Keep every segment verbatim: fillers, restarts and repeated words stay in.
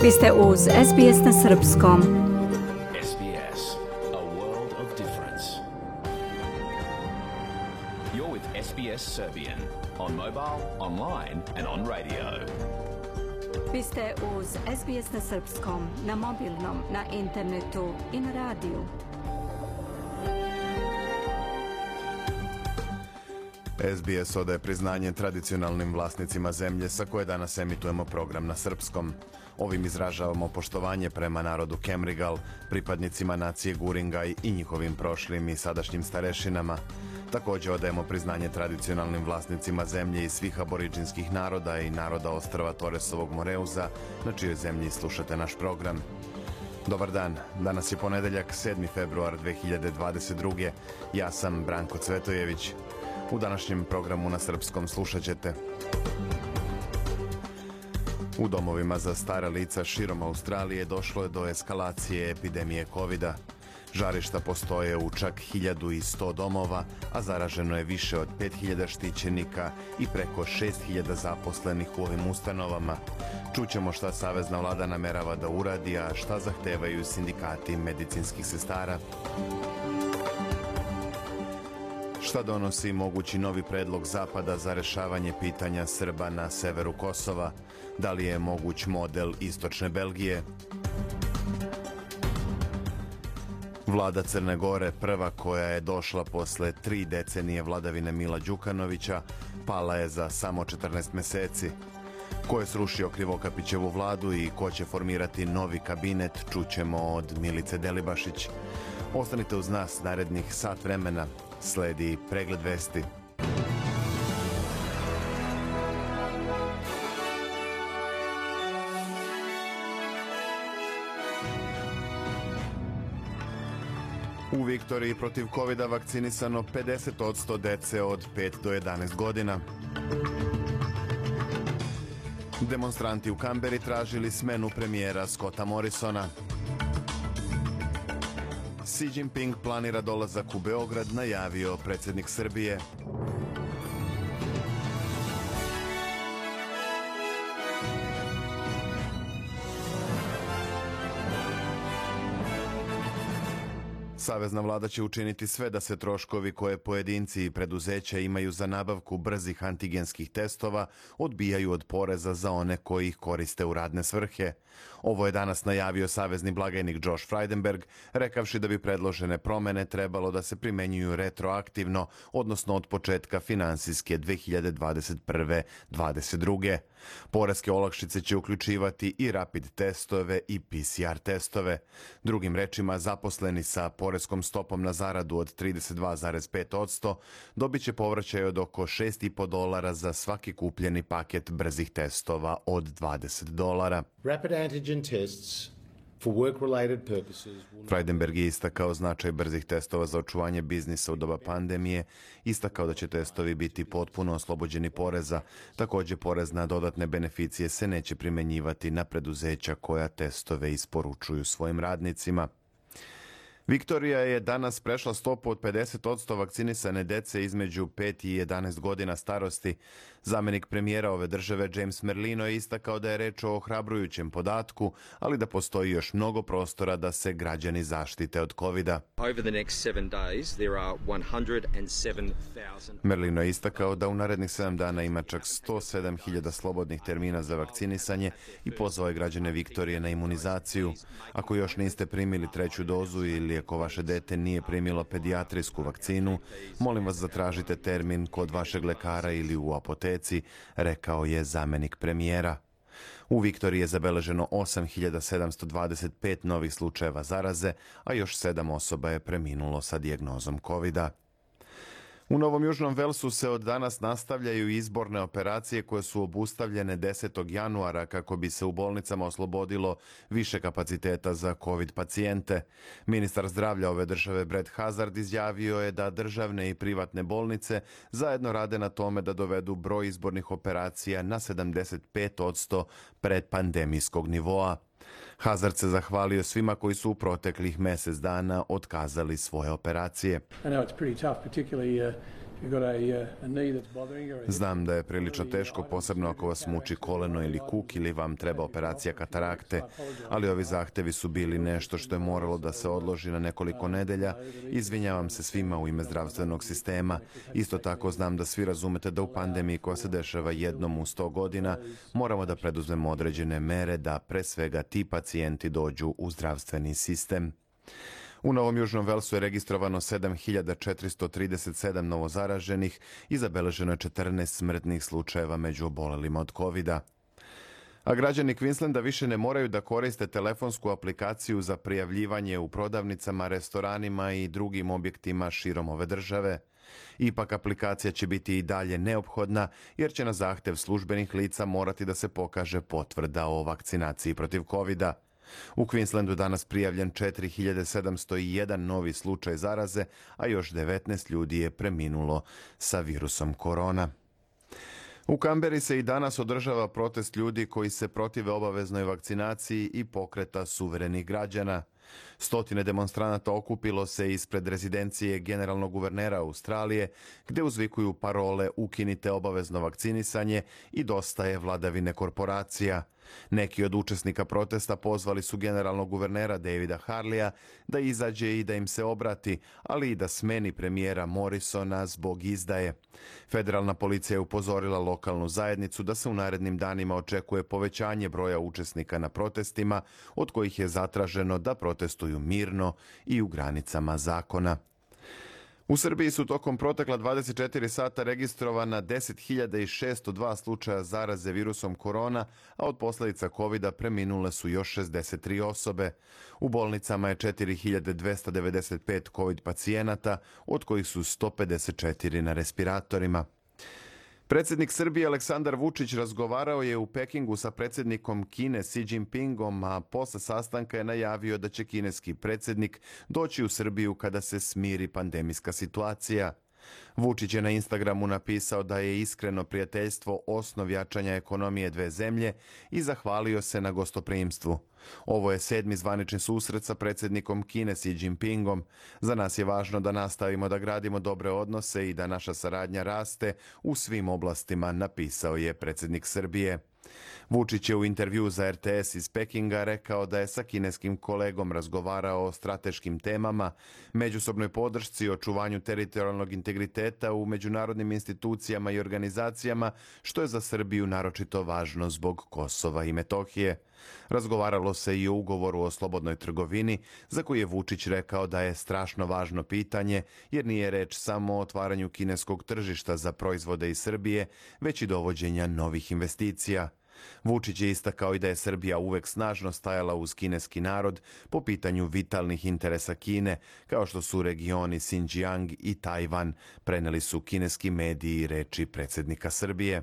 Vi ste uz S B S na srpskom. S B S, a world of difference. You're with S B S Serbian on mobile, online and on radio. Vi ste uz S B S na srpskom, na mobilnom, na internetu i na radiju. S B S odaje priznanje tradicionalnim vlasnicima zemlje sa koje danas emitujemo program na srpskom. Ovim izražavamo poštovanje prema narodu Kemrigal, pripadnicima nacije Guringaj i njihovim prošlim i sadašnjim starešinama. Također odajemo priznanje tradicionalnim vlasnicima zemlje i svih aboriđinskih naroda i naroda ostrva Toresovog Moreuza, na čijoj zemlji slušate naš program. Dobar dan, danas je ponedeljak sedmi februar dve hiljade dvadeset druge. Ja sam Branko Cvetojević. U današnjem programu na srpskom slušat ćete: u domovima za stara lica širom Australije došlo je do eskalacije epidemije kovida. Žarišta postoje u čak hiljadu sto domova, a zaraženo je više od pet hiljada štićenika i preko šest hiljada zaposlenih u ovim ustanovama. Čućemo šta savezna vlada namerava da uradi, a šta zahtevaju sindikati medicinskih sestara. Šta donosi mogući novi predlog Zapada za rešavanje pitanja Srba na severu Kosova? Da li je moguć model istočne Belgije? Vlada Crne Gore, prva koja je došla posle tri decenije vladavine Mila Đukanovića, pala je za samo četrnaest meseci. Ko je srušio Krivokapićevu vladu i ko će formirati novi kabinet, čućemo od Milice Delibašić. Ostanite uz nas narednih sat vremena. Sledi pregled vesti. U Viktoriji protiv kovida vakcinisano pedeset posto dece od pet do jedanaest godina. Demonstranti u Kamberi tražili smenu premijera Scotta Morrisona. Xi Jinping planira dolazak u Beograd, najavio predsjednik Srbije. Savezna vlada će učiniti sve da se troškovi koje pojedinci i preduzeća imaju za nabavku brzih antigenskih testova odbijaju od poreza za one koji ih koriste u radne svrhe. Ovo je danas najavio savezni blagajnik Josh Frydenberg, rekavši da bi predložene promene trebalo da se primenjuju retroaktivno, odnosno od početka finansijske dve hiljade dvadeset prve dvadeset druge. Poreske olakšice će uključivati i rapid testove i P C R testove. Drugim rečima, zaposleni sa poreskom stopom na zaradu od trideset dva zarez pet posto dobit će povraćaj od oko šest i po dolara za svaki kupljeni paket brzih testova od dvadeset dolara. Rapid antigen tests for work-related purposes. Frydenberg je istakao značaj brzih testova za očuvanje biznisa u doba pandemije, istakao da će testovi biti potpuno oslobođeni poreza. Također, porez na dodatne beneficije se neće primenjivati na preduzeća koja testove isporučuju svojim radnicima. Viktorija je danas prešla stopu od pedeset posto vakcinisane dece između pet i jedanaest godina starosti. Zamenik premijera ove države James Merlino je istakao da je reč o ohrabrujućem podatku, ali da postoji još mnogo prostora da se građani zaštite od kovida. Merlino je istakao da u narednih sedam dana ima čak sto sedam hiljada slobodnih termina za vakcinisanje i pozvao je građane Viktorije na imunizaciju. Ako još niste primili treću dozu ili ako vaše dete nije primilo pedijatrijsku vakcinu, molim vas zatražite termin kod vašeg lekara ili u apoteci, rekao je zamenik premijera. U Viktoriji je zabeleženo osam hiljada sedamsto dvadeset pet novih slučajeva zaraze, a još sedam osoba je preminulo sa dijagnozom kovida. U Novom Južnom Velsu se od danas nastavljaju izborne operacije koje su obustavljene desetog januara kako bi se u bolnicama oslobodilo više kapaciteta za COVID pacijente. Ministar zdravlja ove države Brad Hazard izjavio je da državne i privatne bolnice zajedno rade na tome da dovedu broj izbornih operacija na sedamdeset pet posto predpandemijskog nivoa. Hazard se zahvalio svima koji su u proteklih mjesec dana otkazali svoje operacije. Znam da je prilično teško, posebno ako vas muči koleno ili kuk ili vam treba operacija katarakte, ali ovi zahtevi su bili nešto što je moralo da se odloži na nekoliko nedelja. Izvinjavam se svima u ime zdravstvenog sistema. Isto tako znam da svi razumete da u pandemiji koja se dešava jednom u sto godina moramo da preduzmemo određene mere da pre svega ti pacijenti dođu u zdravstveni sistem. U Novom Južnom Velsu je registrovano sedam hiljada četiristo trideset sedam novozaraženih i zabeleženo je četrnaest smrtnih slučajeva među obolelima od kovida. A građani Queenslanda više ne moraju da koriste telefonsku aplikaciju za prijavljivanje u prodavnicama, restoranima i drugim objektima širom ove države. Ipak aplikacija će biti i dalje neophodna jer će na zahtev službenih lica morati da se pokaže potvrda o vakcinaciji protiv kovida. U Queenslandu danas prijavljen četiri hiljade sedamsto jedan novi slučaj zaraze, a još devetnaest ljudi je preminulo sa virusom korona. U Kamberi se i danas održava protest ljudi koji se protive obaveznoj vakcinaciji i pokreta suverenih građana. Stotine demonstranata okupilo se ispred rezidencije generalnog guvernera Australije, gde uzvikuju parole "Ukinite obavezno vakcinisanje" i "Dosta je vladavine korporacija". Neki od učesnika protesta pozvali su generalnog guvernera Davida Harleya da izađe i da im se obrati, ali i da smeni premijera Morrisona zbog izdaje. Federalna policija je upozorila lokalnu zajednicu da se u narednim danima očekuje povećanje broja učesnika na protestima, od kojih je zatraženo da protestuju mirno i u granicama zakona. U Srbiji su tokom protekla dvadeset četiri sata registrovana deset hiljada šesto dva slučaja zaraze virusom korona, a od posljedica kovida preminule su još šezdeset tri osobe. U bolnicama je četiri hiljade dvesta devedeset pet covid pacijenata, od kojih su sto pedeset četiri na respiratorima. Predsjednik Srbije Aleksandar Vučić razgovarao je u Pekingu sa predsjednikom Kine Xi Jinpingom, a posle sastanka je najavio da će kineski predsjednik doći u Srbiju kada se smiri pandemijska situacija. Vučić je na Instagramu napisao da je iskreno prijateljstvo osnov jačanja ekonomije dve zemlje i zahvalio se na gostoprimstvu. Ovo je sedmi zvanični susret sa predsjednikom Kine Xi Jinpingom. Za nas je važno da nastavimo da gradimo dobre odnose i da naša saradnja raste u svim oblastima, napisao je predsjednik Srbije. Vučić je u intervju za R T S iz Pekinga rekao da je sa kineskim kolegom razgovarao o strateškim temama, međusobnoj podršci, očuvanju teritorijalnog integriteta u međunarodnim institucijama i organizacijama, što je za Srbiju naročito važno zbog Kosova i Metohije. Razgovaralo se i o ugovoru o slobodnoj trgovini, za koji je Vučić rekao da je strašno važno pitanje, jer nije reč samo o otvaranju kineskog tržišta za proizvode iz Srbije, već i dovođenja novih investicija. Vučić je istakao i da je Srbija uvek snažno stajala uz kineski narod po pitanju vitalnih interesa Kine, kao što su regioni Xinjiang i Tajvan, preneli su kineski mediji reči predsjednika Srbije.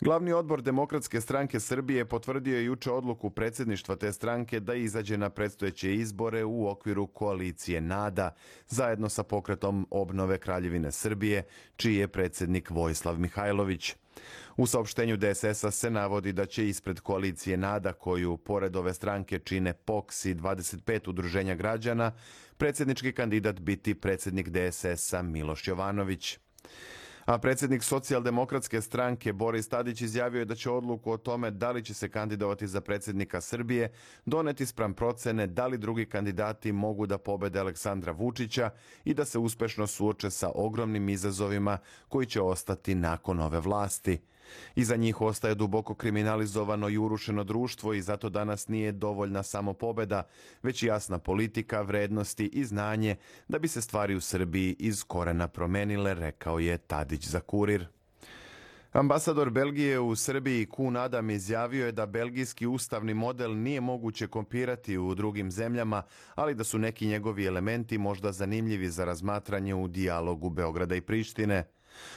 Glavni odbor Demokratske stranke Srbije potvrdio je juče odluku predsjedništva te stranke da izađe na predstojeće izbore u okviru koalicije NADA, zajedno sa pokretom obnove Kraljevine Srbije, čiji je predsjednik Vojislav Mihajlović. U saopštenju D S S-a se navodi da će ispred koalicije NADA, koju pored ove stranke čine P O K S i dvadeset pet udruženja građana, predsjednički kandidat biti predsjednik D S S-a Miloš Jovanović. A predsjednik Socijaldemokratske stranke Boris Tadić izjavio je da će odluku o tome da li će se kandidovati za predsjednika Srbije doneti spram procene da li drugi kandidati mogu da pobede Aleksandra Vučića i da se uspešno suoče sa ogromnim izazovima koji će ostati nakon ove vlasti. Iza njih ostaje duboko kriminalizovano i urušeno društvo i zato danas nije dovoljna samo pobeda, već jasna politika, vrednosti i znanje da bi se stvari u Srbiji iz korena promenile, rekao je Tadić za Kurir. Ambasador Belgije u Srbiji Koen Adam izjavio je da belgijski ustavni model nije moguće kopirati u drugim zemljama, ali da su neki njegovi elementi možda zanimljivi za razmatranje u dijalogu Beograda i Prištine.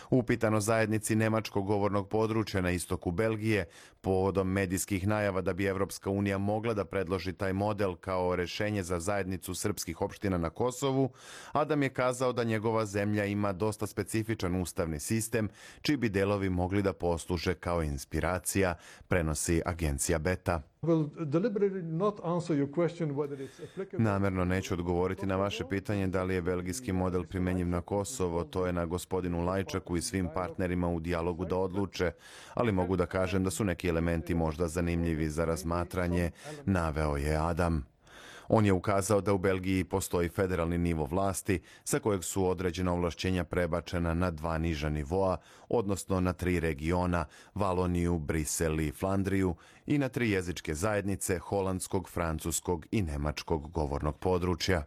Upitano zajednici nemačkog govornog područja na istoku Belgije, povodom medijskih najava da bi Evropska unija mogla da predloži taj model kao rešenje za zajednicu srpskih opština na Kosovu, Adam je kazao da njegova zemlja ima dosta specifičan ustavni sistem, čiji bi delovi mogli da posluže kao inspiracija, prenosi agencija Beta. Namjerno neću odgovoriti na vaše pitanje da li je belgijski model primjenjiv na Kosovo, to je na gospodinu Lajčaku i svim partnerima u dijalogu da odluče, ali mogu da kažem da su neki elementi možda zanimljivi za razmatranje, naveo je Adam. On je ukazao da u Belgiji postoji federalni nivo vlasti sa kojeg su određena ovlašćenja prebačena na dva niža nivoa, odnosno na tri regiona, Valoniju, Brisel i Flandriju, i na tri jezičke zajednice holandskog, francuskog i nemačkog govornog područja.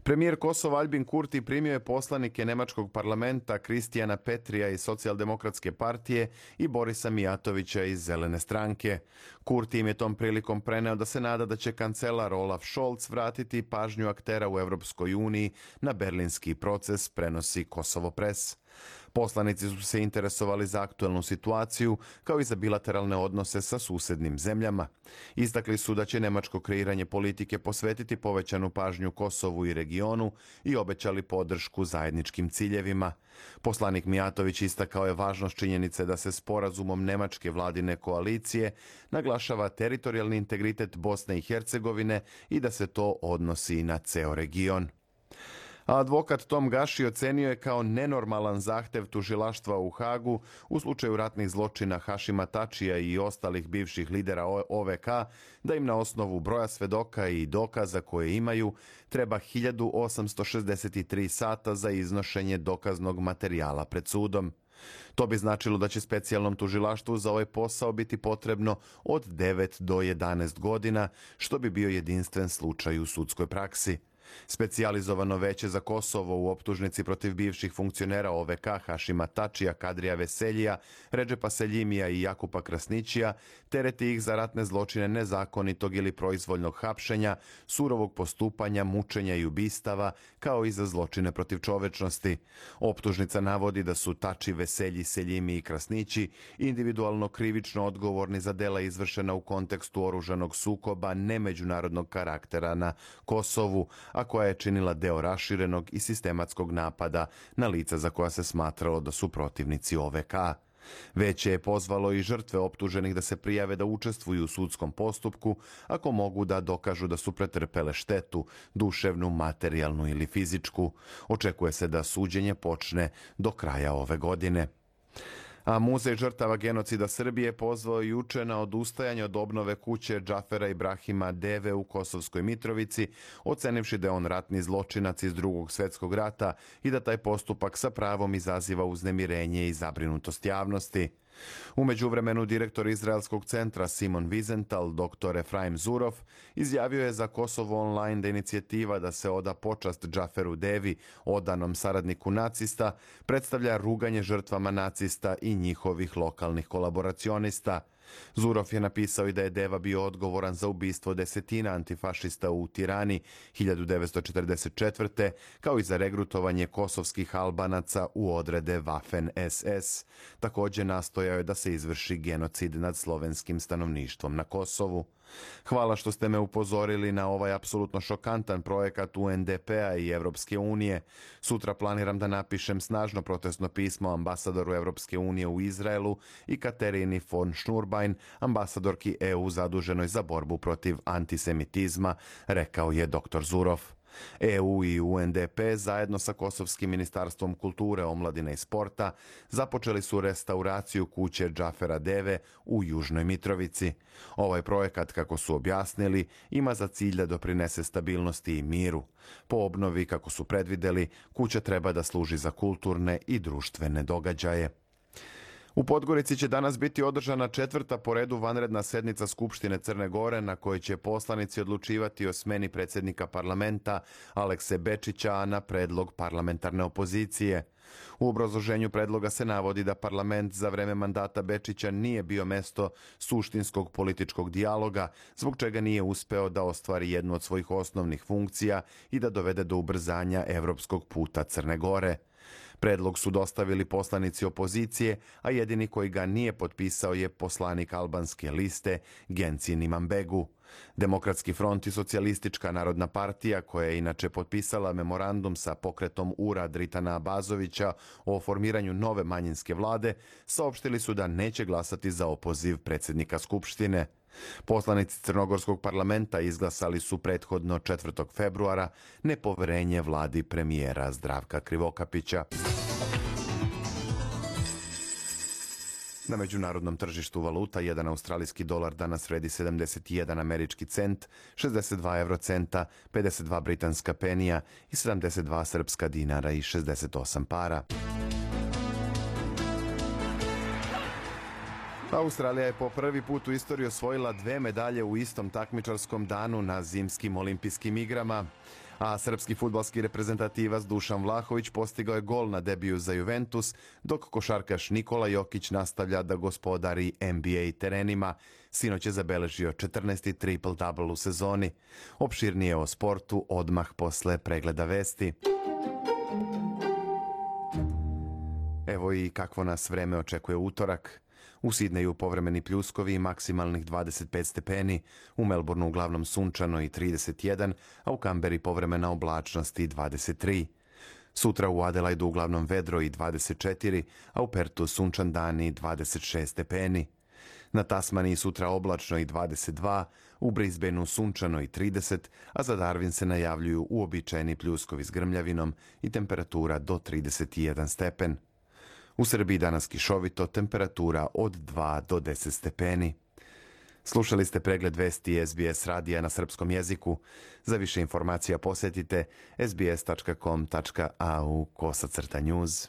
Premijer Kosova Albin Kurti primio je poslanike nemačkog parlamenta Kristijana Petrija iz Socijaldemokratske partije i Borisa Mijatovića iz Zelene stranke. Kurti im je tom prilikom preneo da se nada da će kancelar Olaf Scholz vratiti pažnju aktera u Europskoj uniji na berlinski proces, prenosi Kosovo Press. Poslanici su se interesovali za aktuelnu situaciju, kao i za bilateralne odnose sa susednim zemljama. Istakli su da će nemačko kreiranje politike posvetiti povećanu pažnju Kosovu i regionu i obećali podršku zajedničkim ciljevima. Poslanik Mijatović istakao je važnost činjenice da se sporazumom nemačke vladine koalicije naglašava teritorijalni integritet Bosne i Hercegovine i da se to odnosi na ceo region. A advokat Tom Gaši ocenio je kao nenormalan zahtev tužilaštva u Hagu u slučaju ratnih zločina Hašima Tačija i ostalih bivših lidera O V K da im na osnovu broja svedoka i dokaza koje imaju treba hiljadu osamsto šezdeset tri sata za iznošenje dokaznog materijala pred sudom. To bi značilo da će specijalnom tužilaštvu za ovaj posao biti potrebno od devet do jedanaest godina, što bi bio jedinstven slučaj u sudskoj praksi. Specijalizovano veće za Kosovo u optužnici protiv bivših funkcionera O V K Hašima Tačija, Kadrija Veseljija, Redžepa Seljimija i Jakupa Krasnićija tereti ih za ratne zločine nezakonitog ili proizvoljnog hapšenja, surovog postupanja, mučenja i ubistava, kao i za zločine protiv čovečnosti. Optužnica navodi da su Tači, Veselji, Seljimi i Krasnići individualno krivično odgovorni za dela izvršena u kontekstu oružanog sukoba nemeđunarodnog karaktera na Kosovu, a koja je činila deo raširenog i sistematskog napada na lica za koja se smatralo da su protivnici O V K. Veće je pozvalo i žrtve optuženih da se prijave da učestvuju u sudskom postupku ako mogu da dokažu da su pretrpele štetu, duševnu, materijalnu ili fizičku. Očekuje se da suđenje počne do kraja ove godine. A Muzej žrtava genocida Srbije pozvao juče na odustajanje od obnove kuće Džafera Ibrahima Deve u Kosovskoj Mitrovici, ocenivši da je on ratni zločinac iz Drugog svjetskog rata i da taj postupak sa pravom izaziva uznemirenje i zabrinutost javnosti. U međuvremenu direktor Izraelskog centra Simon Wiesenthal, doktor Efraim Zurov, izjavio je za Kosovo Online da inicijativa da se oda počast Džaferu Devi, odanom saradniku nacista, predstavlja ruganje žrtvama nacista i njihovih lokalnih kolaboracionista. Zurov je napisao i da je Deva bio odgovoran za ubistvo desetina antifašista u Tirani hiljadu devetsto četrdeset četvrte kao i za regrutovanje kosovskih Albanaca u odrede Waffen S S. Također nastojao je da se izvrši genocid nad slovenskim stanovništvom na Kosovu. Hvala što ste me upozorili na ovaj apsolutno šokantan projekat U N D P-a i Evropske unije. Sutra planiram da napišem snažno protestno pismo ambasadoru Evropske unije u Izraelu i Katerini von Schnurbein, ambasadorki E U zaduženoj za borbu protiv antisemitizma, rekao je doktor Zurov. E U i U N D P zajedno sa Kosovskim ministarstvom kulture, omladine i sporta započeli su restauraciju kuće Džafera Deve u Južnoj Mitrovici. Ovaj projekat, kako su objasnili, ima za cilj da doprinese stabilnosti i miru. Po obnovi, kako su predvideli, kuća treba da služi za kulturne i društvene događaje. U Podgorici će danas biti održana četvrta po redu vanredna sednica Skupštine Crne Gore na kojoj će poslanici odlučivati o smeni predsjednika parlamenta Alekse Bečića, a na predlog parlamentarne opozicije. U obrazloženju predloga se navodi da parlament za vreme mandata Bečića nije bio mesto suštinskog političkog dijaloga, zbog čega nije uspeo da ostvari jednu od svojih osnovnih funkcija i da dovede do ubrzanja evropskog puta Crne Gore. Predlog su dostavili poslanici opozicije, a jedini koji ga nije potpisao je poslanik albanske liste Gencin Imambegu. Demokratski front i Socijalistička narodna partija, koja je inače potpisala memorandum sa pokretom Ura Dritana Abazovića o formiranju nove manjinske vlade, saopštili su da neće glasati za opoziv predsjednika Skupštine. Poslanici Crnogorskog parlamenta izglasali su prethodno četvrtog februara nepoverenje vladi premijera Zdravka Krivokapića. Na međunarodnom tržištu valuta jedan australijski dolar danas vredi sedamdeset jedan američki cent, šezdeset dva eurocenta, pedeset dva britanska penija i sedamdeset dva srpska dinara i šezdeset osam para. Australija je po prvi put u istoriji osvojila dve medalje u istom takmičarskom danu na zimskim olimpijskim igrama. A srpski fudbalski reprezentativac Dušan Vlahović postigao je gol na debiju za Juventus, dok košarkaš Nikola Jokić nastavlja da gospodari N B A terenima. Sinoć je zabeležio četrnaesti triple-double u sezoni. Opširnije o sportu odmah posle pregleda vesti. Evo i kakvo nas vreme očekuje utorak. U Sidneju povremeni pljuskovi i maksimalnih dvadeset pet stepeni, u Melbourneu uglavnom sunčano i trideset jedan, a u Kamberi povremena oblačnost i dvadeset tri. Sutra u Adelaidu uglavnom vedro i dvadeset četiri, a u Pertu sunčan dan i dvadeset šest stepeni. Na Tasmaniji sutra oblačno i dvadeset dva, u Brisbaneu sunčano i trideset, a za Darwin se najavljuju uobičajeni pljuskovi s grmljavinom i temperatura do trideset jedan stepen. U Srbiji danas kišovito, temperatura od dva do deset stepeni. Slušali ste pregled vesti S B S radija na srpskom jeziku. Za više informacija posjetite s b s tačka com tačka a u kosacrta news.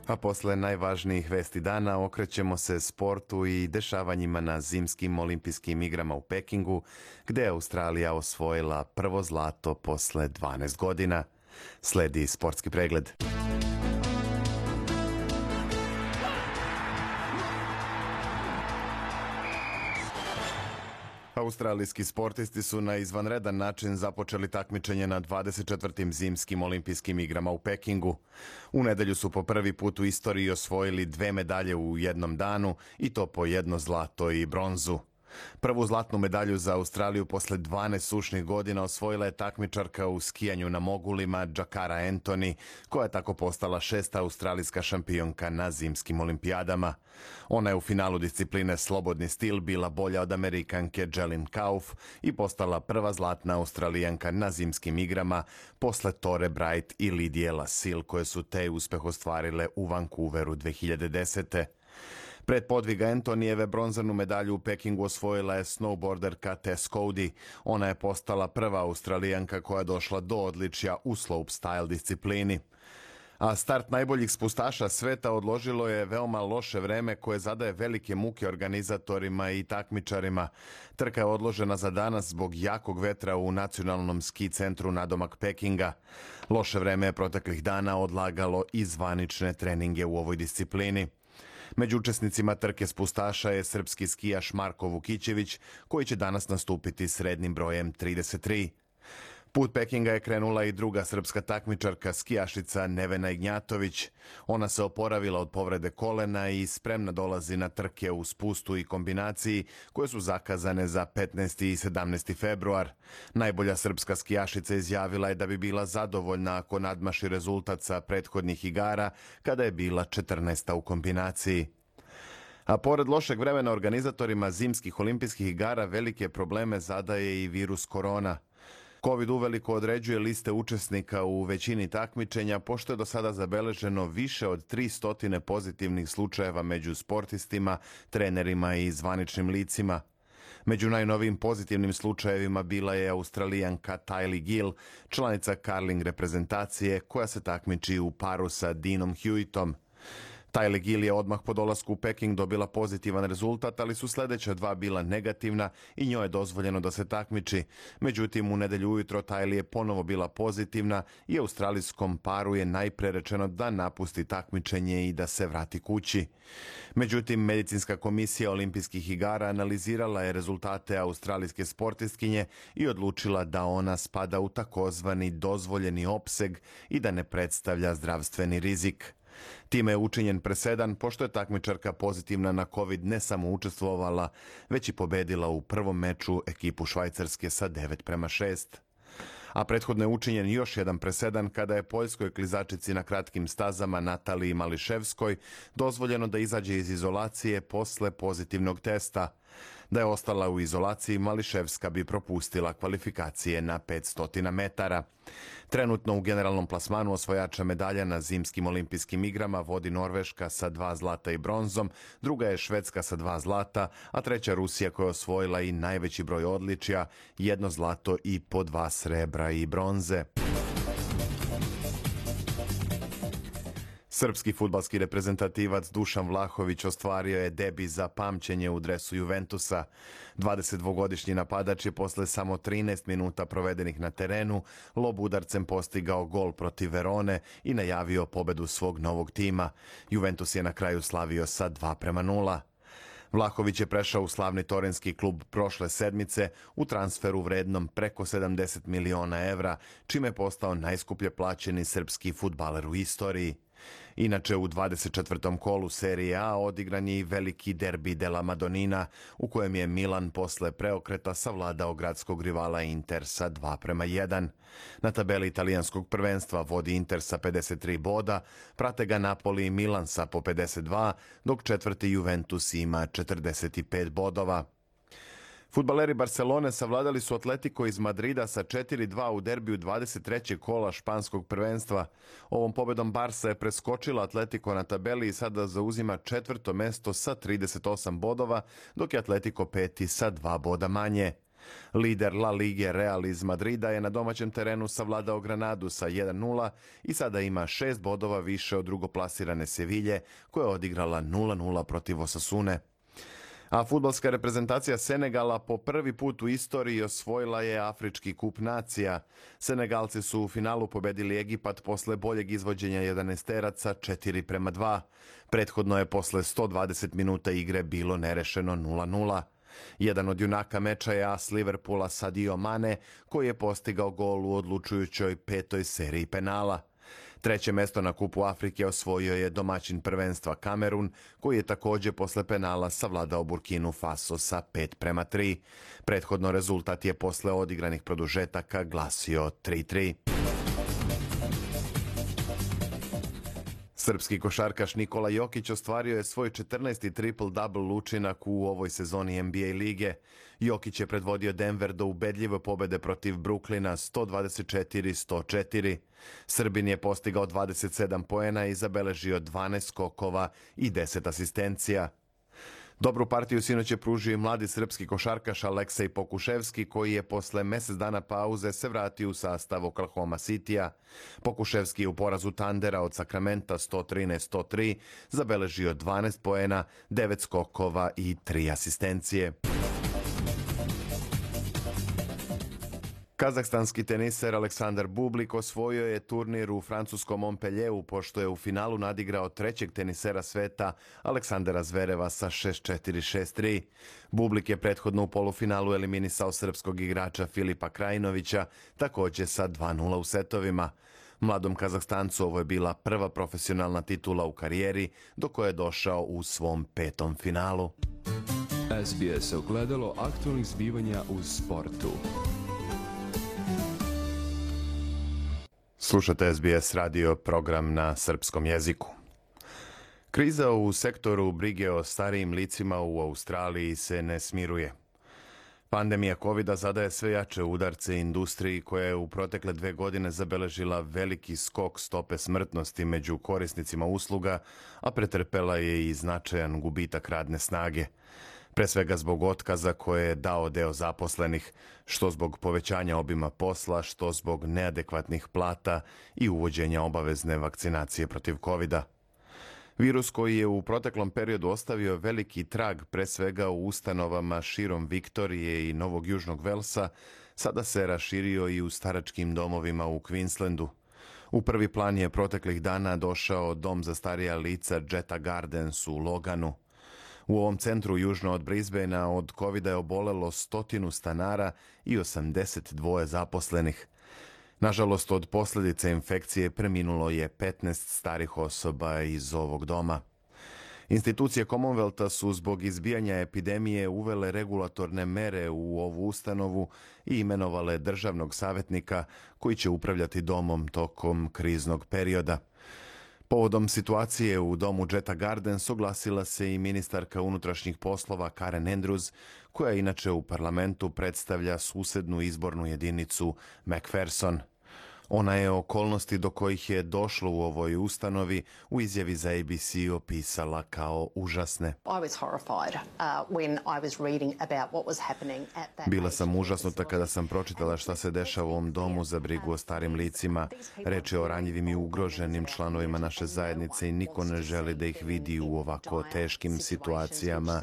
A posle najvažnijih vesti dana okrećemo se sportu i dešavanjima na zimskim olimpijskim igrama u Pekingu, gde je Australija osvojila prvo zlato posle dvanaest godina. Sledi sportski pregled. Australijski sportisti su na izvanredan način započeli takmičenje na dvadeset četvrtim zimskim olimpijskim igrama u Pekingu. U nedelju su po prvi put u istoriji osvojili dve medalje u jednom danu, i to po jedno zlato i bronzu. Prvu zlatnu medalju za Australiju posle dvanaest sušnih godina osvojila je takmičarka u skijanju na mogulima Jakara Anthony, koja je tako postala šesta australijska šampionka na zimskim olimpijadama. Ona je u finalu discipline slobodni stil bila bolja od Amerikanke Jelin Kauf i postala prva zlatna Australijanka na zimskim igrama posle Tore Bright i Lidije Lasil, koje su te uspeh ostvarile u Vancouveru dve hiljade desete. Pred podviga Antonijeve bronzanu medalju u Pekingu osvojila je snowboarderka Tess Cody. Ona je postala prva Australijanka koja je došla do odličja u slopestyle disciplini. A start najboljih spustaša sveta odložilo je veoma loše vreme koje zadaje velike muke organizatorima i takmičarima. Trka je odložena za danas zbog jakog vetra u nacionalnom ski centru nadomak Pekinga. Loše vreme je proteklih dana odlagalo i zvanične treninge u ovoj disciplini. Među učesnicima trke spustaša je srpski skijaš Marko Vukićević, koji će danas nastupiti srednjim brojem trideset tri. Put Pekinga je krenula i druga srpska takmičarka, skijašica Nevena Ignjatović. Ona se oporavila od povrede kolena i spremna dolazi na trke u spustu i kombinaciji koje su zakazane za petnaesti i sedamnaesti februar. Najbolja srpska skijašica izjavila je da bi bila zadovoljna ako nadmaši rezultat sa prethodnih igara, kada je bila četrnaesta u kombinaciji. A pored lošeg vremena organizatorima zimskih olimpijskih igara velike probleme zadaje i virus korona. Covid uveliko određuje liste učesnika u većini takmičenja, pošto je do sada zabeleženo više od tristo pozitivnih slučajeva među sportistima, trenerima i zvaničnim licima. Među najnovijim pozitivnim slučajevima bila je Australijanka Tylee Gill, članica curling reprezentacije koja se takmiči u paru sa Deanom Hewittom. Tylee Gill je odmah po dolasku u Peking dobila pozitivan rezultat, ali su sljedeća dva bila negativna i njoj je dozvoljeno da se takmiči. Međutim, u nedelju ujutro Tylee je ponovo bila pozitivna i australijskom paru je najpre rečeno da napusti takmičenje i da se vrati kući. Međutim, medicinska komisija olimpijskih igara analizirala je rezultate australijske sportistkinje i odlučila da ona spada u takozvani dozvoljeni opseg i da ne predstavlja zdravstveni rizik. Time je učinjen presedan, pošto je takmičarka pozitivna na COVID ne samo učestvovala, već i pobedila u prvom meču ekipu Švajcarske sa devet prema šest. A prethodno je učinjen još jedan presedan kada je poljskoj klizačici na kratkim stazama Nataliji Mališevskoj dozvoljeno da izađe iz izolacije posle pozitivnog testa. Da je ostala u izolaciji, Mališevska bi propustila kvalifikacije na petsto metara. Trenutno u generalnom plasmanu osvajača medalja na zimskim olimpijskim igrama vodi Norveška sa dva zlata i bronzom, druga je Švedska sa dva zlata, a treća Rusija koja je osvojila i najveći broj odličja, jedno zlato i po dva srebra i bronze. Srpski fudbalski reprezentativac Dušan Vlahović ostvario je debi za pamćenje u dresu Juventusa. dvadesetdvogodišnji napadač je posle samo trinaest minuta provedenih na terenu lob udarcem postigao gol protiv Verone i najavio pobedu svog novog tima. Juventus je na kraju slavio sa dva prema nula. Vlahović je prešao u slavni torinski klub prošle sedmice u transferu vrednom preko sedamdeset miliona evra, čime je postao najskuplje plaćeni srpski fudbaler u istoriji. Inače, u dvadeset četvrtom kolu Serije A odigran je i veliki derbi della Madonnina, u kojem je Milan posle preokreta savladao gradskog rivala Inter sa dva prema jedan. Na tabeli italijanskog prvenstva vodi Inter sa pedeset tri boda, prate ga Napoli i Milan sa po pedeset dva, dok četvrti Juventus ima četrdeset pet bodova. Fudbaleri Barcelone savladali su Atletico iz Madrida sa četiri dva u derbiju dvadeset trećeg kola španskog prvenstva. Ovom pobedom Barsa je preskočila Atletico na tabeli i sada zauzima četvrto mesto sa trideset osam bodova, dok je Atletico peti sa dva boda manje. Lider La Lige Real iz Madrida je na domaćem terenu savladao Granadu sa jedan nula i sada ima šest bodova više od drugoplasirane Sevilje, koja je odigrala nula nula protiv Osasune. A fudbalska reprezentacija Senegala po prvi put u istoriji osvojila je Afrički kup nacija. Senegalci su u finalu pobedili Egipat posle boljeg izvođenja jedanaesteraca četiri prema dva. Prethodno je posle sto dvadeset minuta igre bilo nerešeno nula nula. Jedan od junaka meča je as Liverpoola Sadio Mane, koji je postigao gol u odlučujućoj petoj seriji penala. Treće mesto na Kupu Afrike osvojio je domaćin prvenstva Kamerun, koji je također posle penala savladao Burkinu Faso sa pet prema tri. Prethodno rezultat je posle odigranih produžetaka glasio tri tri. Srpski košarkaš Nikola Jokić ostvario je svoj četrnaesti triple-double učinak u ovoj sezoni N B A lige. Jokić je predvodio Denver do ubedljive pobede protiv Brooklyna sto dvadeset četiri sto četiri. Srbin je postigao dvadeset sedam poena i zabeležio dvanaest skokova i deset asistencija. Dobru partiju sinoć je pružio i mladi srpski košarkaš Aleksej Pokuševski, koji je posle mjesec dana pauze se vratio u sastav Oklahoma Citya. Pokuševski je u porazu Tandera od Sakramenta sto trinaest sto tri zabeležio dvanaest poena, devet skokova i tri asistencije. Kazahstanski teniser Aleksandar Bublik osvojio je turnir u francuskom Montpellieru pošto je u finalu nadigrao trećeg tenisera sveta Aleksandra Zvereva sa šest četiri šest tri. Bublik je prethodno u polufinalu eliminisao srpskog igrača Filipa Krajinovića, također sa dva nula u setovima. Mladom Kazahstancu ovo je bila prva profesionalna titula u karijeri, do koje je došao u svom petom finalu. S B S ogledalo aktualnih zbivanja u sportu. Slušate S B S radio program na srpskom jeziku. Kriza u sektoru brige o starijim licima u Australiji se ne smiruje. Pandemija kovida zadaje sve jače udarce industriji koja je u protekle dve godine zabeležila veliki skok stope smrtnosti među korisnicima usluga, a pretrpela je i značajan gubitak radne snage. Pre svega zbog otkaza koje je dao deo zaposlenih, što zbog povećanja obima posla, što zbog neadekvatnih plata i uvođenja obavezne vakcinacije protiv kovida. Virus koji je u proteklom periodu ostavio veliki trag pre svega u ustanovama širom Viktorije i Novog Južnog Velsa, sada se raširio i u staračkim domovima u Queenslandu. U prvi plan je proteklih dana došao dom za starija lica Jetta Gardens u Loganu. U ovom centru južno od Brisbanea od kovida je obolelo stotinu stanara i osamdeset dva zaposlenih. Nažalost, od posljedice infekcije preminulo je petnaest starih osoba iz ovog doma. Institucije Commonwealtha su zbog izbijanja epidemije uvele regulatorne mere u ovu ustanovu i imenovale državnog savjetnika koji će upravljati domom tokom kriznog perioda. Povodom situacije u domu Jetta Gardens oglasila se i ministarka unutrašnjih poslova Karen Andrews, koja inače u parlamentu predstavlja susednu izbornu jedinicu McPherson. Ona je okolnosti do kojih je došlo u ovoj ustanovi u izjavi za A B C opisala kao užasne. Bila sam užasnuta kada sam pročitala šta se dešava u ovom domu za brigu o starim licima. Reč je o ranjivim i ugroženim članovima naše zajednice i niko ne želi da ih vidi u ovako teškim situacijama,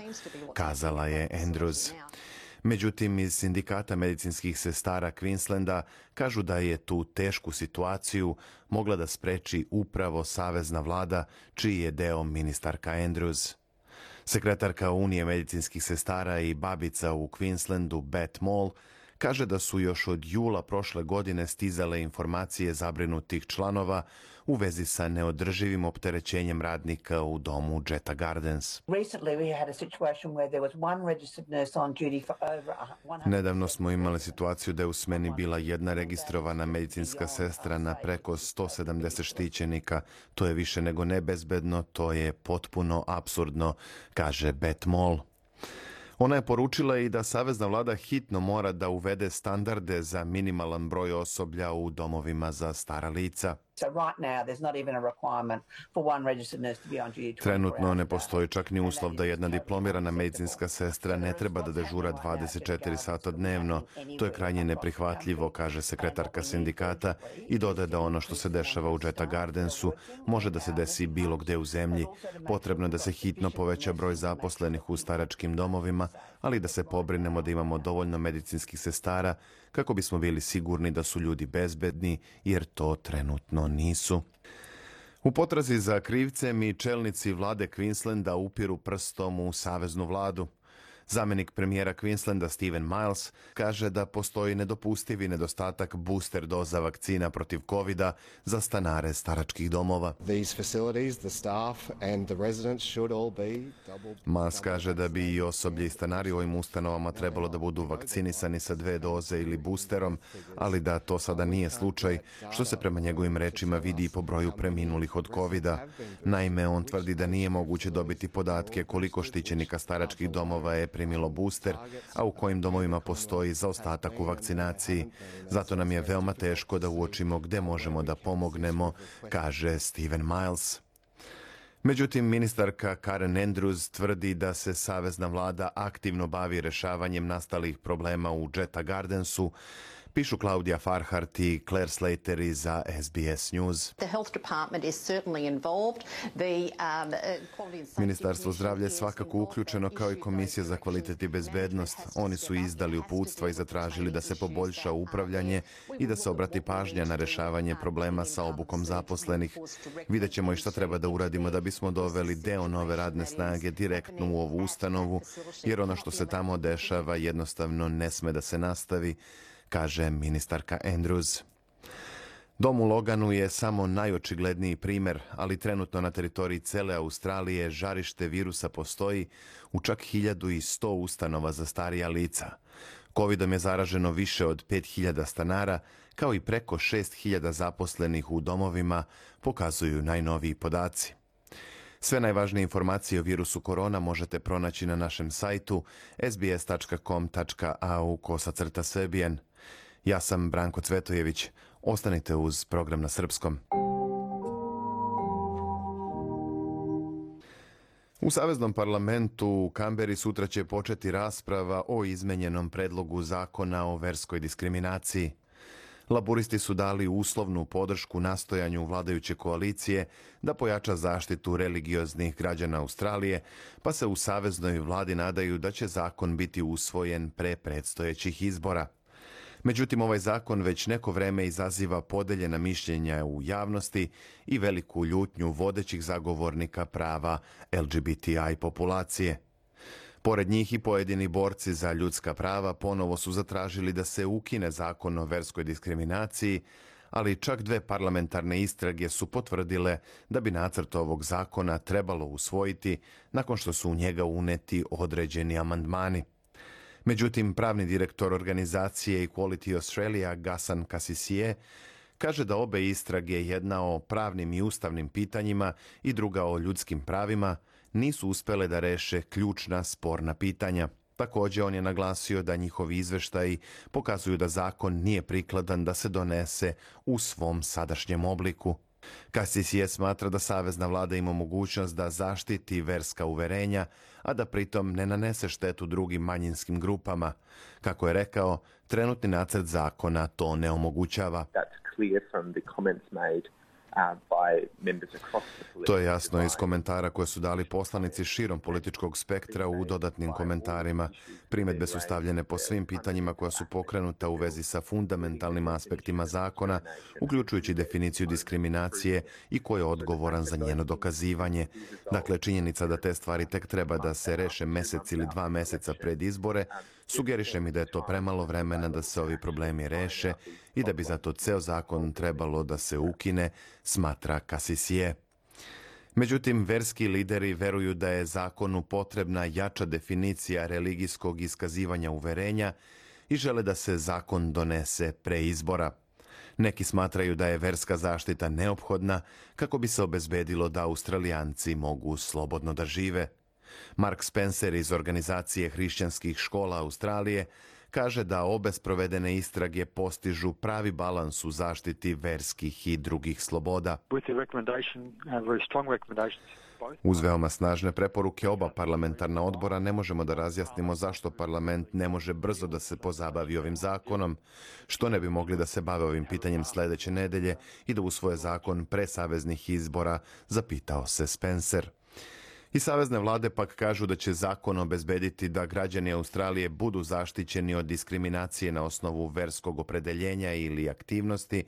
kazala je Andrews. Međutim, iz sindikata medicinskih sestara Queenslanda kažu da je tu tešku situaciju mogla da spreči upravo savezna vlada, čiji je deo ministarka Andrews. Sekretarka Unije medicinskih sestara i babica u Queenslandu, Beth Moll, kaže da su još od jula prošle godine stizale informacije zabrinutih članova u vezi sa neodrživim opterećenjem radnika u domu Jetta Gardens. Nedavno smo imali situaciju da je u smeni bila jedna registrovana medicinska sestra na preko sto sedamdeset štićenika. To je više nego nebezbedno, to je potpuno apsurdno, kaže Beth Moll. Ona je poručila i da savezna vlada hitno mora da uvede standarde za minimalan broj osoblja u domovima za stara lica. Trenutno ne postoji čak ni uslov da jedna diplomirana medicinska sestra ne treba da dežura dvadeset četiri sata dnevno. To je krajnje neprihvatljivo, kaže sekretarka sindikata i dodaje da ono što se dešava u Jetta Gardensu može da se desi bilo gde u zemlji. Potrebno je da se hitno poveća broj zaposlenih u staračkim domovima, ali da se pobrinemo da imamo dovoljno medicinskih sestara kako bismo bili sigurni da su ljudi bezbedni, jer to trenutno nisu. U potrazi za krivcem i čelnici vlade Queenslanda upiru prstom u saveznu vladu. Zamenik premijera Queenslanda Stephen Miles kaže da postoji nedopustivi nedostatak booster doza vakcina protiv kovida za stanare staračkih domova. Miles kaže da bi i osoblje i stanari u ovim ustanovama trebalo da budu vakcinisani sa dve doze ili boosterom, ali da to sada nije slučaj, što se prema njegovim rečima vidi i po broju preminulih od kovida. Naime, on tvrdi da nije moguće dobiti podatke koliko štićenika staračkih domova je primilo booster, a u kojim domovima postoji zaostatak u vakcinaciji. Zato nam je veoma teško da uočimo gde možemo da pomognemo, kaže Stephen Miles. Međutim, ministarka Karen Andrews tvrdi da se savezna vlada aktivno bavi rešavanjem nastalih problema u Jetta Gardensu, pišu Claudia Farhart i Claire Slater za S B S News. Ministarstvo zdravlja je svakako uključeno kao i Komisija za kvalitet i bezbednost. Oni su izdali uputstva i zatražili da se poboljša upravljanje i da se obrati pažnja na rešavanje problema sa obukom zaposlenih. Vidjet ćemo i šta treba da uradimo da bismo doveli deo nove radne snage direktno u ovu ustanovu, jer ono što se tamo dešava jednostavno ne sme da se nastavi, kaže ministarka Andrews. Dom u Loganu je samo najočigledniji primer, ali trenutno na teritoriji cele Australije žarište virusa postoji u čak hiljadu sto ustanova za starija lica. Covidom je zaraženo više od pet hiljada stanara, kao i preko šest hiljada zaposlenih u domovima, pokazuju najnoviji podaci. Sve najvažnije informacije o virusu korona možete pronaći na našem sajtu s b s tačka com tačka a u kosacrta srbijen. Ja sam Branko Cvetojević. Ostanite uz program na srpskom. U Saveznom parlamentu u Kamberi sutra će početi rasprava o izmenjenom predlogu zakona o verskoj diskriminaciji. Laburisti su dali uslovnu podršku nastojanju vladajuće koalicije da pojača zaštitu religioznih građana Australije, pa se u saveznoj vladi nadaju da će zakon biti usvojen pre predstojećih izbora. Međutim, ovaj zakon već neko vreme izaziva podeljena mišljenja u javnosti i veliku ljutnju vodećih zagovornika prava L G B T I populacije. Pored njih i pojedini borci za ljudska prava ponovo su zatražili da se ukine zakon o verskoj diskriminaciji, ali čak dve parlamentarne istrage su potvrdile da bi nacrt ovog zakona trebalo usvojiti nakon što su u njega uneti određeni amandmani. Međutim, pravni direktor organizacije Equality Australia, Ghassan Kassisieh, kaže da obe istrage, jedna o pravnim i ustavnim pitanjima i druga o ljudskim pravima, nisu uspjele da reše ključna sporna pitanja. Također, on je naglasio da njihovi izveštaji pokazuju da zakon nije prikladan da se donese u svom sadašnjem obliku. Kassisieh smatra da savezna vlada ima mogućnost da zaštiti verska uverenja, a da pritom ne nanese štetu drugim manjinskim grupama. Kako je rekao, trenutni nacrt zakona to ne omogućava. To je jasno iz komentara koje su dali poslanici širom političkog spektra u dodatnim komentarima. Primjedbe su stavljene po svim pitanjima koja su pokrenuta u vezi sa fundamentalnim aspektima zakona, uključujući definiciju diskriminacije i ko je odgovoran za njeno dokazivanje. Dakle, činjenica da te stvari tek treba da se reše mjesec ili dva mjeseca pred izbore, sugeriše mi da je to premalo vremena da se ovi problemi reše i da bi zato ceo zakon trebalo da se ukine, smatra Kassisieh. Međutim, verski lideri veruju da je zakonu potrebna jača definicija religijskog iskazivanja uverenja i žele da se zakon donese pre izbora. Neki smatraju da je verska zaštita neophodna kako bi se obezbedilo da Australijanci mogu slobodno da žive. Mark Spencer iz organizacije hrišćanskih škola Australije kaže da obe sprovedene istrage postižu pravi balans u zaštiti verskih i drugih sloboda. Uz veoma snažne preporuke oba parlamentarna odbora ne možemo da razjasnimo zašto parlament ne može brzo da se pozabavi ovim zakonom, što ne bi mogli da se bave ovim pitanjem sljedeće nedelje i da usvoje zakon pre saveznih izbora, zapitao se Spencer. I savezne vlade pak kažu da će zakon obezbediti da građani Australije budu zaštićeni od diskriminacije na osnovu verskog opredeljenja ili aktivnosti,